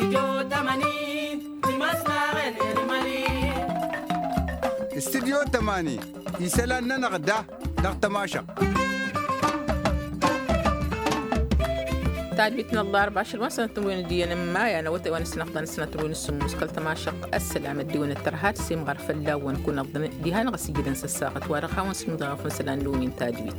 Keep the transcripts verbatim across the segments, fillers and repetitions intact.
Studyo tămani. Studyo tămani isălan-nănăɣ da dăɣ-tămašăɣt. Tadwit n-ăllarba ašăl wa n-sănăt n-wen d-iyyăn n-maya n-awătay wa n-sănăɣta n-sănăt n-wen s-sǝmmus kăl-tămašăɣt. Ăssălam ăddiwăn ăttărha d-simɣar fălla-wăn kunăḍ diha n-ɣas ijidăn s-ăssaɣăt wa dăɣ-hawăn s-inḍaɣăf n-isălan n-wen tadwit.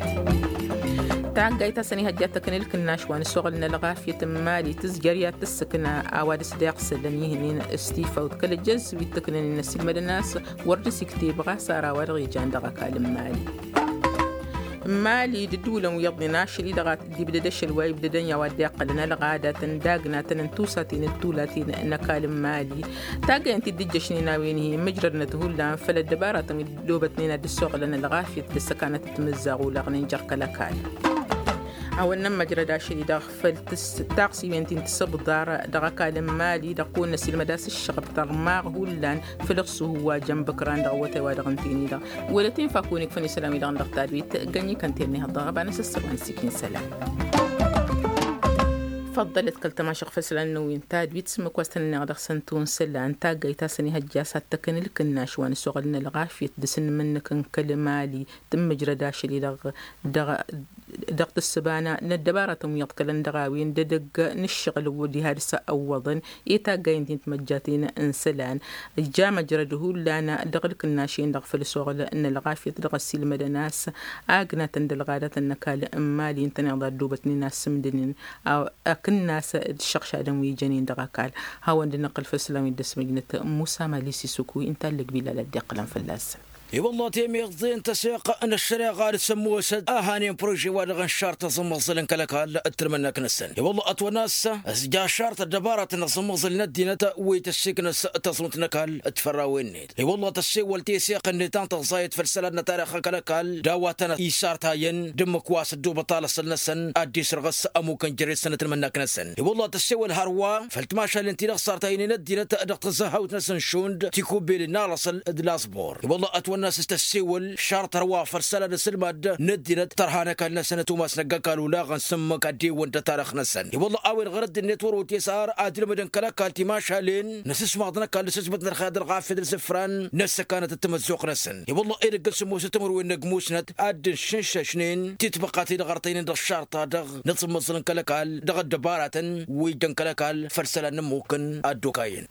Taggayt a-s ănihăjja ad-tăknǝl kǝnnaš wa n-ăsoɣăl n-ălɣafyăt n-mali tǝzjăr i-ad-tǝssǝkna a-wa dăɣ-s deɣ sălăn ihǝnnin s-tifawt kăl-ăjjăz wi t-ǝknăn innă s-ilmădăn a-s wăr dăɣ-s ikteb ɣas ara a-wa dăɣ-ijan dăɣ-ăkall n-mali. N-mali d-ǝddǝwǝlăn wi iyyăḍnen ašăl-i-dăɣ ad-ibdăd ašăl wa ibdădăn i-a-wa dd-iqqălăn ălɣadatăn d-agnatăn n-tusaten d-tulaten n-ăkall n-mali. Taggăyăn-t-dd-ǝjjăšnen a-wen-hi mǝjrădnăt hullan făll-ăddăbaratăn wi dd-obătnen ad-dd-ăssoɣlăn ălɣafyăt d-ăssăkanăt d-timǝzzaɣ olaɣnen jer-kăl-ăkall. Hawăn-nămmăjrăd ašăl-i-dăɣ făll-taɣsiwen ti n-tisǝbḍar dăɣ-ăkall n-mali dăɣ-kăwăn-năsilmăd a-s ǝššăɣăb tărmaɣ hullan făll-iɣsuhu wa jăn bǝkran dăɣ-awătay wa dăɣ-ǝnta-en-i-dăɣ. Wăla t-infa kăwăn-ikfăn isălan-wi-dăɣ n-dăɣ-tadwit găn-ikăn tirni hăḍḍăɣ ăbanăs ăssăwăn s-ikin isălan. Făḍḍălăt kăl-tămašăɣ făll-isălan n-wi n-tadwit s-ǝmmǝk wa s-tăn-ănneɣ dăɣ-săn tun isălan taggayt a-s ănihăjja a-s ad-tăkăn ǝlkǝnnaš wa n-ăsoɣăl n-ălɣafyăt dăr-s n-imǝnnǝk n-kăl-mali tǝmmǝjrăd ašăl-i-dăɣ dăɣ-tǝssǝba n-ăddăbaratăn wi iḍkălăn dăɣ-a-wen d-edăgg n-ǝššăɣǝl diha dăr-s ăwwăḍăn i-taggayăn ti n-timăjjaten n-isălan. Ija măjrăd hullan dăɣ-ǝlkǝnnaš-en-dăɣ făll-ăsoɣăl n-ălɣafyăt dăɣ-ăssiilmădăn a-s agnatăn d-ălɣadatăn n-ăkall n-mali ǝntăneḍ a ăddoobătnen a ăssǝmdǝnen akǝnnas d-iššăɣšadăn wi jănen dăɣ-ăkall. Hawăn-dd-năqqǝl făll-isălan wi dd-ăsmăjnăt musa mali sisuku wi ǝnta allăg bilal a dd-iqqǝlăn fălla-săn. I-wălla temeẓẓe n-tăseɣt n-ăššăreɣa d-sămmosăt a hanen prože-wa-dăɣ n-šart aẓǝmmăẓǝl n-kăl-ăkall d-tǝlmǝnnăk-năsăn i-wălla ătwănna a-s ija šart ăddăbaratăn n-aẓǝmmăẓǝl n-ăddinăt wi tăssiknăs tăẓunt n-ăkall d-fărrawen-net i-wălla tăssewăl teseɣt-net ta n-tăẓẓayăt făll-isălan n-tarix n-kăl-ăkall d-a-wa tăn-isartayăn d-ǝmmǝk wa s-ăddoobăt alăsăl-năsăn ad-dd-isrăɣăs ămukăn jere-săn d-tǝlmǝnnăk-năsăn i-wălla tăssewăl hărwa făll-timašalen ti-dăɣ sartaynen ăddinăt dăɣ-tǝzzăhawt-năsăn šund tikubelin n-alăsăl d-laẓbur i-wălla ătwănna a-s tăssewăl šart hărwa făll-isălan n-asǝlmad n-ăddinăt tărha n-ăkall-năsăn ătumas n-ăgg-ăkall olaɣăn s-ǝmmǝk ad-dd-ewwăn d-tarix-năsăn i-wălla a-wen ɣur-ăddinăt wăr-otesar ad-ǝlmǝdăn kăl-ăkall timašalen n-asǝsmaḍ n-ăkall d-asǝsbăt n-ălxer d-ălɣafyăt d-isǝfran n-ăssăkanăt d-timǝzzuɣt-năsăn i-wălla edăgg n-sǝmmosăt timǝrwen n-ăgg musnăt ad-dd-inšǝnšăšnen titbăqqaten-dăɣ ărtăynen dăɣ-šarta-dăɣ n-aẓǝmmăẓǝl n-kăl-ăkall dăɣ-ăddăbaratăn wi ijjăn kăl-ăkall făll-isălan n-ămmukăn ad-dd-okayăn.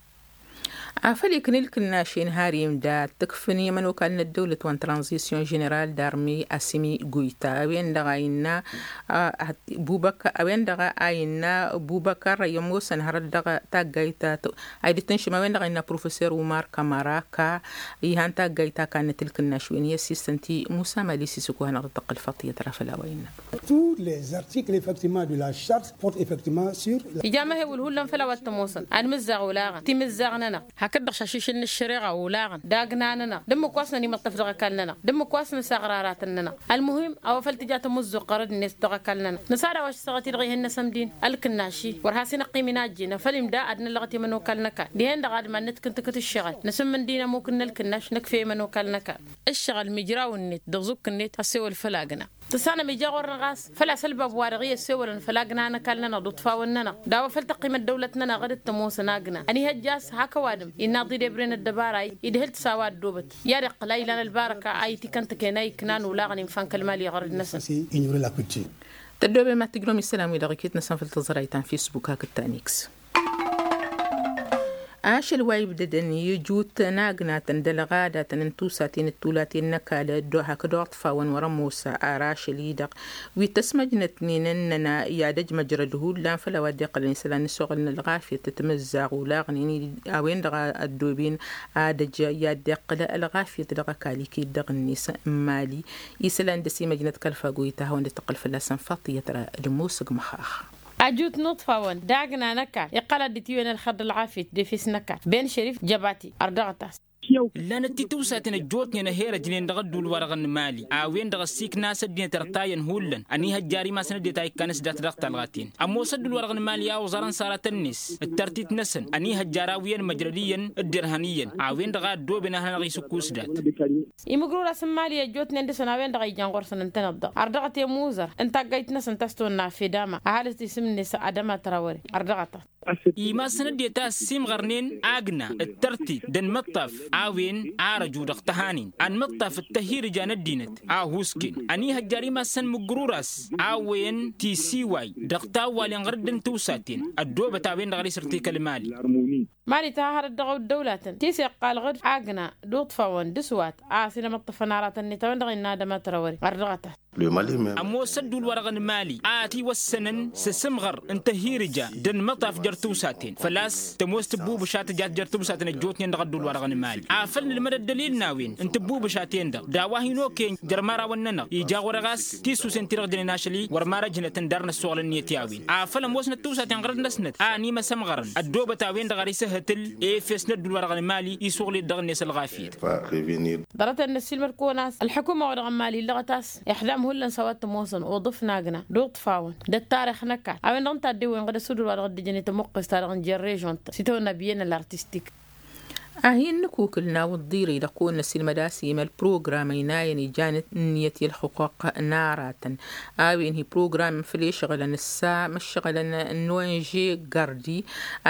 Afăl ikna ǝlkǝnnašen har imda ad-t-ǝkfǝn i-ămănokal n-ăddăwlăt wa n-tranzisyon ženeral d-armi asimi guyta a-wen-dăɣ a innă bubăkar a-wen-dăɣ a innă bubăkar i-ămoosăn hărăt dăɣ-taggayt ta a idǝt n-šima a-wen-dăɣ a innă professor umar kamara ka ihan taggayt ta kannăt ǝlkǝnnaš wen i-ăssistăn ti musa mali sisǝku hanăɣ-dd-tăqqǝl faṭiyăt ra făll-a-wa innă. Tous les articles effectivement de la charte portent effectivement sur. Ija amăhewǝl hullan făll-a-wa t-ămoosăn anmǝzzaɣ olaɣăn timǝzzaɣ-nănăɣ hakd-dăɣ šašišǝl n-ăššăreɣa olaɣăn d-agna-nănăɣ d-ǝmmǝk wa s-nănimăṭṭăf dăɣ-ăkall-nănăɣ d-ǝmmǝk wa s-nǝsaɣ raratăn-nănăɣ. Ălmuhim a-wa făl tǝja tamǝzzuɣt ɣărăd-net dăɣ-ăkall-nănăɣ nǝsad a-wa s-săɣăt-i-dăɣ ihăn n-asămdin ălkǝnnaš-i wăr has-inăqqim inajjǝnăf făll-imda ad-năllăɣăt i-ămănokal n-ăkall dihen-dăɣ ad-iman nǝtkǝntǝkǝt ǝššăɣǝl nǝsǝmmǝndin ămuk n-ălkǝnnaš nǝkf'-e i-ămănokal n-ăkall. Ǝššăɣǝl mijraw-net d-aẓukk-net ăssewăl făll-agna. Tǝssanăm ija ɣur-năɣ a-s făl-a-s ălbab-wa-dăɣ i-ăssewălăn făll-agna n-ăkall-nănăɣ d-uṭfawăn-nănăɣ d-a-wa făl tăqqim ăddăwlăt-nănăɣ d-dd-tămoosăn agna ănihăjja a-s hak ăwadǝm innă aḍi d-ebre n-ăddăbara-i idhǝl-t s-a-wa ăddoobăt i-ad-iqqǝl a ilan ălbarăka a itikăntăken a iknan olaɣăn infa n-kăl-mali ɣărăd-năsăn. Tăddoobem ad-tǝjrǝwăm isălan-wi-dăɣ iket-năsăn făll-tăẓrayt ta n-fisbuk hakd ta n-iks. Ašăl wa ibdădăn i-ijut n-agnatăn d-ălɣadatăn n-tusaten d-tulaten n-ăkall ăddo hakd oḍfawăn wăr-ămoos ar ašăl-i-dăɣ wi t-ăsmăjnătnen ǝnnăn i-ad-ăj măjrăd hullan făll-a-wa dd-iqqălăn isălan n-ăsoɣăl n-ălɣafyăt timǝzzaɣ olaɣnen a-wen-dăɣ a ăddooben ad-ăj i-ad-iqqǝl ălɣafyăt dăɣ-ăkall iket dăɣ-net n-mali. Isălan dăr-s imăjnăt kăl-fagoyt a hawăn-dd-tăqqǝl fălla-săn faṭiyăt ra d-ămoosăg măxax. Ajut n-uṭfawăn d-agna n-ăkall iqqăl ad-dd-tiwǝyăn ălxer d-ălɣafyăt d-efes n-ăkall ben šărif jăbati ărdăɣăt-as. Ǝllanăt tiwsaten ăjjootnen ăherăjnen dăɣ-ădduul-wa-dăɣ n-mali a-wen-dăɣ ăssiikna a-s ăddinăt ărtayăn hullan ănihăjjar imasăn ăddinăt a ikkan s-dat dăɣ-talɣaten. Ămoos ădduul-wa-dăɣ n-mali a oẓărăn s-aratăn-net d-tărtit-năsăn ănihăjjar a wi ănmăjrăd iyyăn dd-irhăn iyyăn a-wen-dăɣ a ăddooben ad-hanăɣ-isǝkkus dat. Imǝgrura s-n-mali ăjjootnen dăɣ-săn a-wen-dăɣ a ijăn ɣur-săn ǝntăneḍ-dăɣ ărdăɣăt i-ămuzăr n-taggayt-năsăn ta s-tonna fedama ăhalǝs isǝm-net adăma trawăre ărdăɣăt-as. Imassăn ăddinăt a ăssiimɣărnen agna d-tărtit d-anmǝṭṭaf a-wen arăju dăɣ-tăhanen anmǝṭṭaf d-tăhhirǝja n-ăddinăt a husken ănihăjjar imassăn mǝggǝrur a-s a-wen tisiway dăɣ-tawwalen ɣur-dd n-tiwsaten ăddoobăt a-wen-dăɣ ad-isǝrtikăl mali. Mali tăhahărăt dăɣ-ăddăwlatăn ti s-iqqal ɣur-dd agna d-uṭṭfawăn d-aswat a-s inămăṭṭăfăn aratăn-net a-wen-dăɣ innă ad-ămătrăwări ɣur-dăɣătat. Ămoos ădduul-wa-dăɣ n-mali a ătiwăssănăn s-asǝmɣăr n-tăhhirǝja d-anmăṭṭaf jer-tiwsaten făl-a-s tămoos tǝbbubǝša tǝjat jer-tiwsaten ăjjootnen dăɣ-ădduul-wa-dăɣ n-mali. Afăl nǝlmăd ăddălil n-a-wen n-tǝbbubǝšaten-dăɣ d-a-wa hin-okăyăn jer-imărawăn-nănăɣ ija ɣur-e ɣas tisusen-ti-dăɣ jănen ašăl-i wăr marăjnătăn dar n-ăssoɣlăn-net i-a-wen afăl ămoosnăt tiwsaten ɣărăt-năsnăt a ănimăsămɣărăn ăddoobăt a-wen-dăɣ ar isǝhhǝtǝl efes n-ădduul-wa-dăɣ n-mali isuɣǝl-dd dăɣ-net ălɣafyăt. Ḍarăt-en n-ăssiilmăd-kăwăn a-s ălḥukuma-wa-dăɣ n-mali illăɣăt a-s ixdam hullan s-a-wa t-ămoosăn uḍǝf n-agna d-uṭṭfawăn d-ăttărix n-ăkall a-wen-dăɣ ǝnta a dd-ewwen ɣǝd ăsudǝl-wa-dăɣ dd-ǝjăn i-tămuqqes-ta-dăɣ n-jer-režion-tăn s-itawănna biyyăn ăllartistik. Ad-hin-nǝkukǝl n-awǝḍḍir-i-dăɣ kăwăn-năsilmăd a-s imăl program ăynayăn ijan ǝnniyăt i-ălxuquq n-aratăn a-wen hi-program făll-ešăɣǝlăn ǝssa măššăɣǝlăn n-onže gardi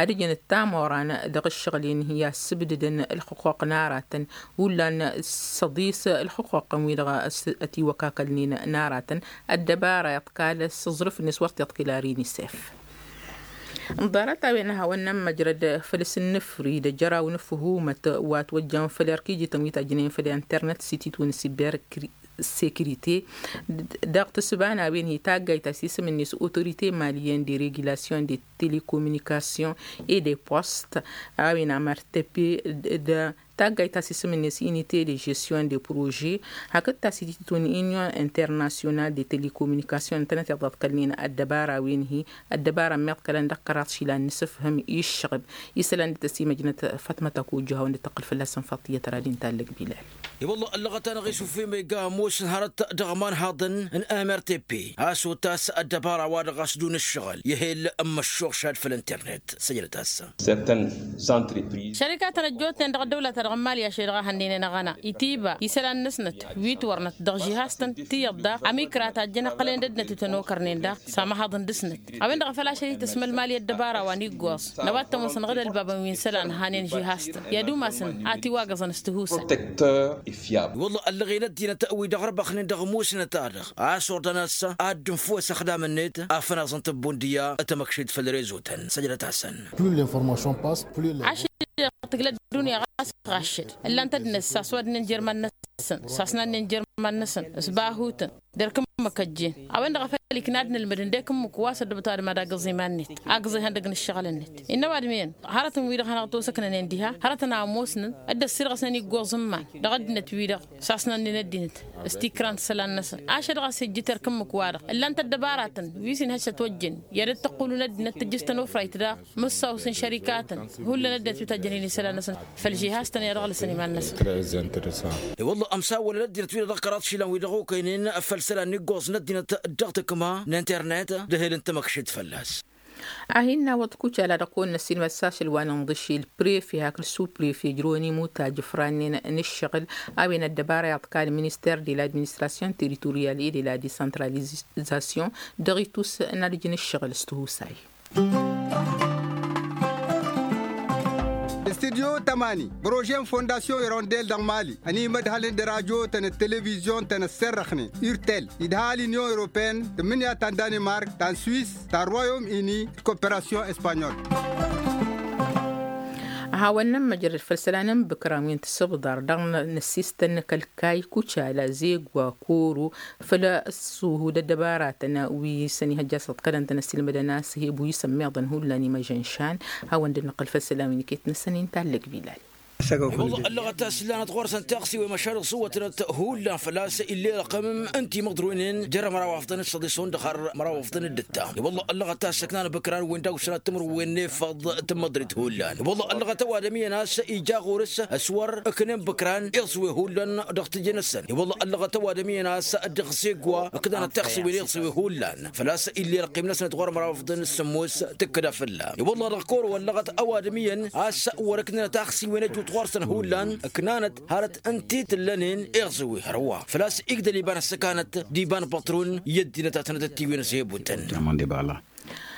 ad-ǝjǝn d-tamoran dăɣ-ǝššăɣǝl-en hi-assǝbdǝdăn ălxuquq n-aratăn. Hullan s-ăḍis ălxuquq-ǝn-wi-dăɣ ătiwăkakălnen n-aratăn ăddăbara iḍkal s-aẓrǝf-net wăr t-iḍkǝl ar inisef. Ǝnḍarăt a-wen ad-hawăn-nămmăjrăd făll-asǝnnǝfri d-ajăraw n-ǝfhumăt wa ătwăjjăn făll-erk ijităn wi tajjănen făll-internet s-ititwǝn s-iber sekirite dăɣ-tǝssǝba n-a-wen hi-taggayt ta s-isǝm-net autorite maliyen de regulasyon de telekomunikasyon e de post a-wen amărtăpe d-taggayt ta s-isǝm-net inite de žestyon de prože hakd ta s-ititǝtun inyon internasyonal de telekomunikasyon ǝntănăt iḍăḍkălnen ăddăbara a-wen hi-ăddăbara ămmiḍkălăn dăɣ-kăraḍ išilan n-asǝfhǝm i-ǝššăɣǝb isălan dd-tăsimăjnăt fatmăt akojju hawăn-dd-tăqqǝl fălla-săn faṭiyăt radin tallăg bilal. I-wălla ăllăɣăt-anăɣ isufimăyga ămoosăn hărăt dăɣ-imanhaḍăn n-mrtp a-s otas ăddăbara-wa-dăɣ a-s dun ǝššăɣǝl i-ehel n-măššuɣšad făll-internet săjdăt-as. Sărtăn s-antrepriză. Šărikatăn ăjjootnen dăɣ-ăddăwla-ta-dăɣ n-mali ašăl dăɣ-ehăn n-inăɣăna itiba isălan-năsnăt wi t-wărnăt dăɣ-žihaz-tăn tiyyăḍ daɣ ămikra tajjăn iqqălăn d-ăddinăt wi tăn-okărnen daɣ s-amăhaḍăn dăɣ-snăt. A-wen-dăɣ a făl ašăl-i tăsmăl mali ăddăbara-wa n-iggoẓ n-a-wa t-ămoosăn ɣǝd ălbabăn wi n-isălan hanen žihaz-tăn i-ad-umasăn a tiwagăẓăn s-tihusăn. Protectăr. Wălla ăllăɣen ăddinăt wi dăɣ-răbăxnen dăɣ-musnăt-a-dăɣ a-s ordăn a-s ad-dd-ǝnfǝwăs ăxdam-net afănaẓăn tăbbun d-iyyă tamăkšit făll-rezo-tăn săjdăt-asăn. Ašăl-i tǝglă ăddunya ɣas ɣaššăd ǝllan-t ăddinăt s-aswadnen jer-iman-năsăn s-asnadnen jer-iman-năsăn s-bahutăn. D-erk ǝmmǝk ăjjeen a-wen-dăɣ a făl ikna ad-nǝlmǝd ǝndek ǝmmǝk wa s-ăddăbăt ăwadǝm ad-agǝẓ iman-net agǝẓ ihăndăg n-ǝššăɣǝl-net. Innă ăwadǝm iyyăn hărătăn-wi-dăɣ hanăɣ-tosăknănen diha hărătăn a ămoosnăn dd-ăssirɣăsnen iggoẓ n-iman dăɣ-ăddinăt-wi-dăɣ s-asnannăn ăddinăt s-tikra n-isălan-năsăn. Ašăl-dăɣ a-s ijjǝt erk ǝmmǝk-wa-dăɣ ǝllan-t ăddăbaratăn wi s-inhăj s-ătwăjjăn i-ad-dd-tăqqulun ăddinăt tǝjjǝs tănofrayt daɣ mǝssaw s-inšărikatăn hullan ăddinăt wi tajjănen isălan-năsăn. Făll-žihaz-tăn i-ad-ăɣlǝsăn iman-năsăn. I-wălla ămsawălăn ăddinăt-wi-dăɣ dăɣ-kăraḍ išilan wi dăɣ-okăynen făll-isălan n-iggoẓ n-ăddinăt dăɣ-tǝkma n-internet d-ehel n-tamăkšit fălla-s. Ad-hin-nawăḍ kucala dăɣ-kăwăn-năssinmăd s-ašăl wa n-inḍǝšil prefe hakd suprefe jroni mutaj ǝfrannen n-ǝššăɣǝl a-wen ăddăbara iḍkal minister de l'administration territorial et de la decentralisation dăɣ-itus n-ad-ǝjǝn ǝššăɣǝl s-tihusay. Studyo tămani prože n-fondasyon irondel dăɣ-mali ănimădhălăn d-radyo-tăn d-televizyon-tăn ăssărrăxnen urtel idha l-inyon europeen tǝmmǝnǝya ta n-danimark ta n-swis ta n-royom ini d-koperasyon espanyol. Hawăn-nămmăjrăd făll-isălan n-ibǝkran wi n-tisǝbḍar dăɣ-năssistăn n-akălkay kucala zegwa koro făll-ăssuhu d-ăddăbaratăn wi s-ănihăjja s-ăḍkălăn-tăn ăssiilmădăn a-s ăheb wi s-ămmiḍăn hullan imăžănšan. Hawăn-dd-năqqǝl făll-isălan wi n-iket-năsăn inta ăllăg bilal. I-wălla ăllăɣăt a-s ǝllanăt ɣur-săn tiɣsiwen măšan iẓǝwwătnăt hullan făl-a-s ill'-e ărqǝm n-timǝḍrǝwnen jer-măraw afḍăn d-săḍis hundăɣ har măraw afḍăn d-ǝttan. I-wălla ăllăɣăt a-s ǝknan ibǝkran-wen daw-săn ad-tǝmrǝwwen n-efăḍ tǝmmăḍrit hullan. I-wălla ăllăɣăt ăwadǝm iyyăn a-s ija ɣur-s s-wăr ǝknen ibǝkran iẓǝwe hullan dăɣ-tǝjje-năsăn. I-wălla ăllăɣăt ăwadǝm iyyăn a-s dăɣ-zegwa ǝknanăt tiɣsiwen iẓǝwe hullan făl-a-s ill'-e ărqim-năsnăt ɣur-măraw afḍăn d-sǝmmos tǝkkǝda fălla-s. I-wălla dăɣ-kăwăr wăllăɣăt ăwadǝm iyyăn a-s wăr-ǝknǝnăt aɣsiwen ăjut ɣur-săn hullan ǝknanăt hărăt ǝnta i-tǝllănen iɣzǝwi hărwa făl-a-s igdăl iba n-ăssăkanăt d-iba n-păṭrun i-ăddinăt a tănăt-ăttiwen ăshebutăn.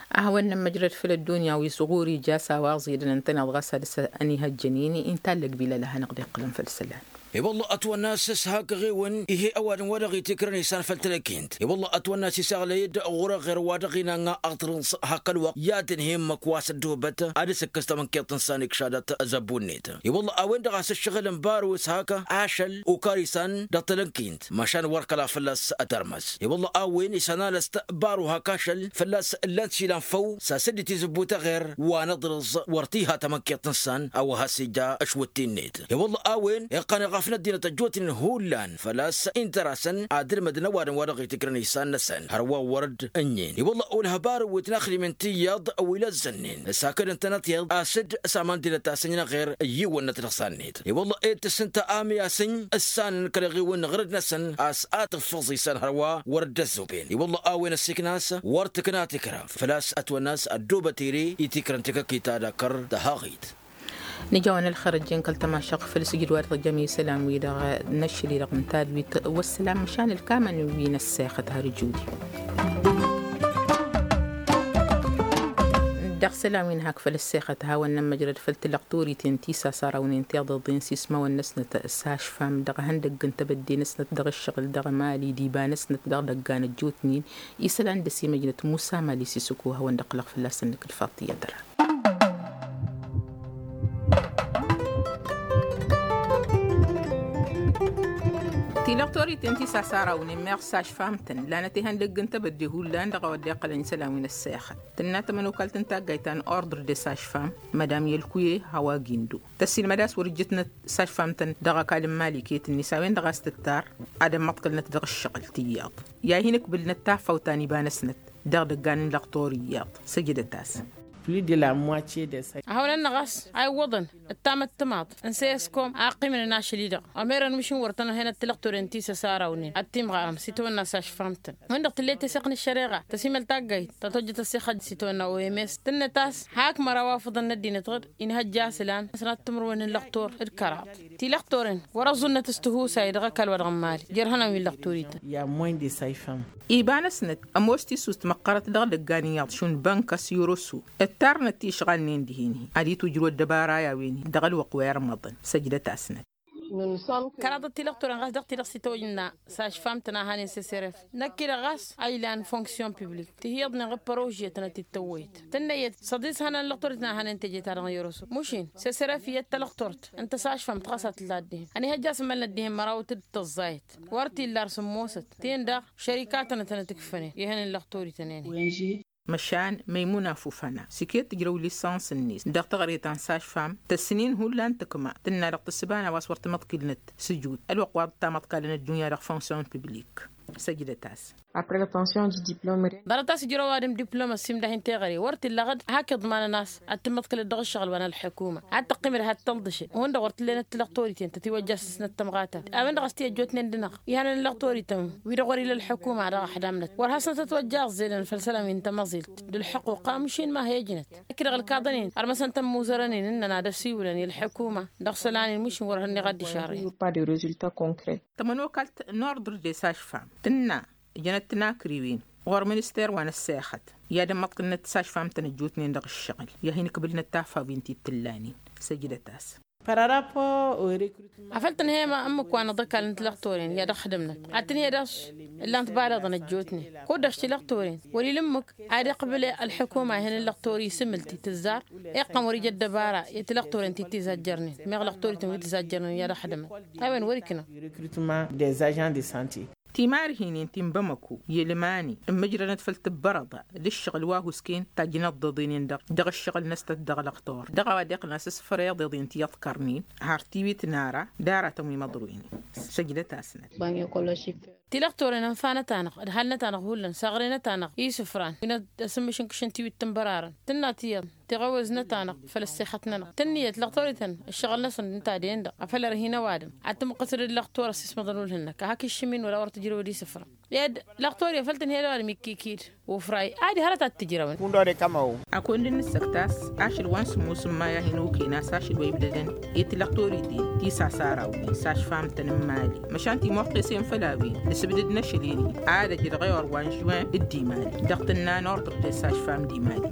A hawăn-nămmăjrăd făll-ăddunya wi s-ɣur-ija s-a-wa ẓidăn ǝntăneḍ ɣas ad-dăr-s ănihăjjăn-in inta ăllăg bilăl a hanăɣ-dd-iqqǝlăn făll-isălan. I-wălla ătwănna a-s s-hak ăɣewăn ih'-e ăwadǝm wa dăɣ-itikrăn isan făll-telăkint. I-wălla ătwănna a-s isaɣlăy-dd ɣur-eɣer wa dăɣ-inanna aɣtărǝẓ hak ălwăqq i-ad-tǝnhǝyăm măkk wa s-ăddohbăt ad-dăr-s ǝkkǝs tamănkent n-isan ikšadăt ăzzăbbu-net. I-wălla a-wen-dăɣ a-s ǝššăɣǝl n-baru s-hak ašăl okar isan dăɣ-telăkint măšan wăr kăla fălla-s ătărmăs. I-wălla a-wen isănalăst baru hak ašăl fălla-s ǝllan-t išilan făw s-asǝddit izǝbbut eɣer wa n-aḍrǝẓ wăr t-iha tamănkent n-isan a-wa has-ija ăšwǝtti-net. I-wălla a-wen iqqăn iɣăf n-ăddinăt ăjjootnen hullan făl-a-s inta-dăr-asăn ad-ǝlmădăn ăwadǝm wa dăɣ-itikrăn isan-năsăn hărwa wăr dd-ǝnnin. I-wălla olhăbar wi t-naxdimnen tiyyăḍ wi lăzzănnen s-hakd ǝntănăt iyyăḍ a-s dd-saman dinăt-asăn-in ăɣer ǝyyiwănnăt dăɣ-isan-net. I-wălla ed tǝssǝnta amyasǝny ǝssanăn kăl-eɣiwăn n-iɣrǝd-năsăn a-s ad-tǝffǝẓ isan hărwa wăr dd-ăzzuben. I-wălla a-wen ăssiiknas wăr tǝkna tikra făl-a-s ătwănna a-s ăddoobăt ere i-tikrăn tikăkit ad-akăr tăhaɣit. Nǝjawăn ălxer ăjjeen kăl-tămašăɣt făll-sǝjǝd wa dăɣ-jămesălan-wi-dăɣ n-ašăl-i-dăɣ n-tadwit wăssalam măšan ǝlkamăn wi n-ăssexăt har ǝjudi. Dăɣ-isălan wi n-hak făll-ăssexăt hawăn-nămmăjrăd făll-tilăɣtorit-en ti s-asarawnen tiḍeḍen s-ismawăn-năsnăt s-ašfam dăɣ-ihăndăgg n-tebădde-năsnăt dăɣ-ǝššăɣǝl dăɣ-emali d-iba-năsnăt dăɣ-idăggan ăjjootnen. Isălan dăr-s imăjnăt musa mali s-isǝkku a hawăn-dd-ăqqǝlăɣ fălla-săn nǝkǝl faḍt iyyăt ăra. Tilăɣtorit-en ti s-asarawnen meɣ s-ašfam-tăn lanăt ihăndăgg n-tebădde hullan dăɣ-a-wa dd-iqqălăn isălan wi n-ăssexăt tǝnna tămănokalt n-taggayt ta n-ordre de s-ašfam madam yălkuye hawa gindo tăssilmăd a-s wăr-ǝjjǝtnăt s-ašfam-tăn dăɣ-ăkall n-mali iket-net a-wen-dăɣ a-s tǝttar ad-ămmăḍkălnăt dăɣ-ǝššăɣǝl tiyyăḍ i-ad-hin-ǝkbǝlnăt tafawt ta n-iba-năsnăt dăɣ-idăggan n-lăqtor iyyăḍ. Săjdăt-as. Plus de la moitié de sa. Ahăwăn-năɣ a-s a iwwăḍăn ǝttamăt timaḍ n-seyăskom a ăqqimnen ašăl-i-dăɣ ămerăn mišǝn wăr tăn-ăhenăt tilăqtoren ti s-ăsarawnen ad-timɣarăm s-itawănna s-ašfam-tăn. Win-dăɣ tǝllet teseɣt n-ăššăreɣa tăsimăl taggayt ta tojjăt ăssixăt s-itawănna oms tǝnnăt a-s hak măraw afǝḍăn n-ăddinăt ɣǝd inhăjja asǝlan s-năttǝmrǝwen n-lăqtor d-kăraḍ. Tilăqtoren wăr-ăẓẓunnăt s-tihusay dăɣ-ăkall wa dăɣ-n mali jer-ihănan wi n-lăqtorităn. Iba-năsnăt ămoos tisust măqqărăt dăɣ-idăggan iyyăḍ šund bănkăs i-orosu ǝttarnăt tišɣalnen dihen-hi ad-itwǝjrǝw ăddăbara i-a-wen-hi dăɣ-ălwăqq wa irmăḍăn. Săjdăt-asnăt. Kăraḍăt tilăqtoren ɣas dăɣ-ti-dăɣ s-itwăjna s-ašfam-tăn a hanen seseref năkk-i-dăɣ ɣas a ilan fonksyon piblik tihiyyăḍnen ɣǝd părožiyăt tănăt-dd-tăwwăyăt tǝnnăyăt s-ăḍis hănan lăqtorit n-a hanen teje-ta-dăɣ n-iroso mušin seseref iyyăt talăqtort ǝnta s-ašfam-t ɣas a tǝlla dd-ihen ănihăjja asǝmmălnăt dihen mărawăt d-tăẓẓayăt wăr t-illa ar sǝmmosăt ti-en-dăɣ šărika-tăn ad-tănăt-ǝkfănen i-ihănen lăqtorităn-en-i. Măšan măymuna fufăna s-iket tǝjrăw lisăns-net dăɣ-teɣăre ta n-sašfam tăsnin hullan tǝkma tǝnna dăɣ-tǝssǝba n-a-wa s-wăr tǝmăḍkilnăt s-ǝjud ălwăqq wa dd-tamăḍkalăn ăddunya dăɣ-fonksyon piblik. Săjdăt-as. Ḍarăt-as ǝjrăw ăwadǝm diplom ăssiimdăh-in teɣăre wăr t-illa ɣǝd hak iḍmanăn a-s ad-tǝmmăḍkǝlăt dăɣ-ǝššăɣǝl wa n-ălḥukuma ad-tăqqimăd ad-tălḍǝšăd hundăɣ wăr t-ǝllenăt tilăqtorităn tătiwăjja s-ǝsnăt tămɣatăn. A-wen-dăɣ a-s ti ăjjootnen-dăɣ ihănăn ilăqtorităn wi-dăɣ wăr-ila ălḥukuma ad-dăɣ-ăḥdamnăt wăr hasnăt ătwăjja aẓẓelăn făll-isălan wi n-tamăẓilt d-ǝlḥăqquqa măšin ma hi-ăjnăt. Ǝkk-dăɣ ǝlkaḍăn-in ărmăsăn tămmuzărăn-in ǝnnăn ad-ăsiwǝlăn i-ălḥukuma dăɣ-isălan-in măšin wăr hănniɣ ad-dd-išarrăyăn. Pas de résultat concret. Tămănokalt n-ordre de sašfam tǝnna ǝjnăt tinakriwen ɣur-minister wa n-ăssexăt i-ad-ămmăḍkǝlnăt s-ašfam-tăn ăjjootnen dăɣ-ǝššăɣǝl i-ad-hin-ǝkbǝlnăt tafawen ti t-ǝllanen. Săjdăt-as. Afăl tǝnhăyăm ǝmmǝk wa n-aḍăkal n-tilăqtoren i-ad-ăxdǝmnăt ad-tǝnhăyăd a-s ǝllan-t balaḍăn ăjjootnen kud-dăɣ tilăqtoren wăr-ila ǝmmǝk ad-iqbǝl ălḥukuma ihăn n-lăqtor isǝmǝl ti tǝzzar. Iqqăn wăr-ija ăddăbara i-tilăqtoren ti t-izajjărnen meɣ lăqtorităn wi t-izajjărnen i-ad-ăxdǝmăn. A-wen wăr-ikna. Timarhinen ti n-bamăko i-ălmani ǝmmǝjrănăt făll-tǝbbărăḍa d-ǝššăɣǝl wa husken tajjăn ăḍḍeḍen-en-dăɣ dăɣ-ǝššăɣǝl-năsnăt dăɣ-lăqtor dăɣ-a-wa dd-iqqăn a-s ǝsfăr iḍeḍen ti iḍkărnen har tiwit n-ara d-aratăn wi măḍroynen. Săjdăt-asnăt. Tilăqtoren ănfa-năt-anăɣ ǝdhal-năt-anăɣ hullan saɣre-năt-anăɣ i-isǝfran wi n-ad-asǝmmǝš n-kǝššăn tiwit tǝnbărarăn tǝnna tiyyăḍ tiɣăwez-năt-anăɣ făll-ăssexăt-nănăɣ tǝnniyăt lăqtorităn ǝššăɣǝl-năsăn ǝnta a den-dăɣ afăl ărhin ăwadǝm ad-tǝmǝqqǝsăd d-lăqtor ăssismăḍăn ulhǝn-năk a hak iššǝm-in wăla wăr tǝjrăwăd isǝfran. Ed lăqtor i-făl tǝnhăyăd a-wa n-mikkikid ufray. Adi hărăt ad-t-ǝjrăwăn. Akund n-ǝssăktas ašăl wa n-sǝmmus n-maya hin-oken a-s ašăl wa ibdădăn i-tilăqtor-i-din tisasara-wen s-ašfam-tăn n-imali. Măšan timoqqesen făll-a-wen nǝsǝbdǝd n-ašăl-en-hi ad-ăj dăɣ-ewăr wa n-žwen d-imali dăɣ-tǝnna n-ortăpte s-ašfam d-imali.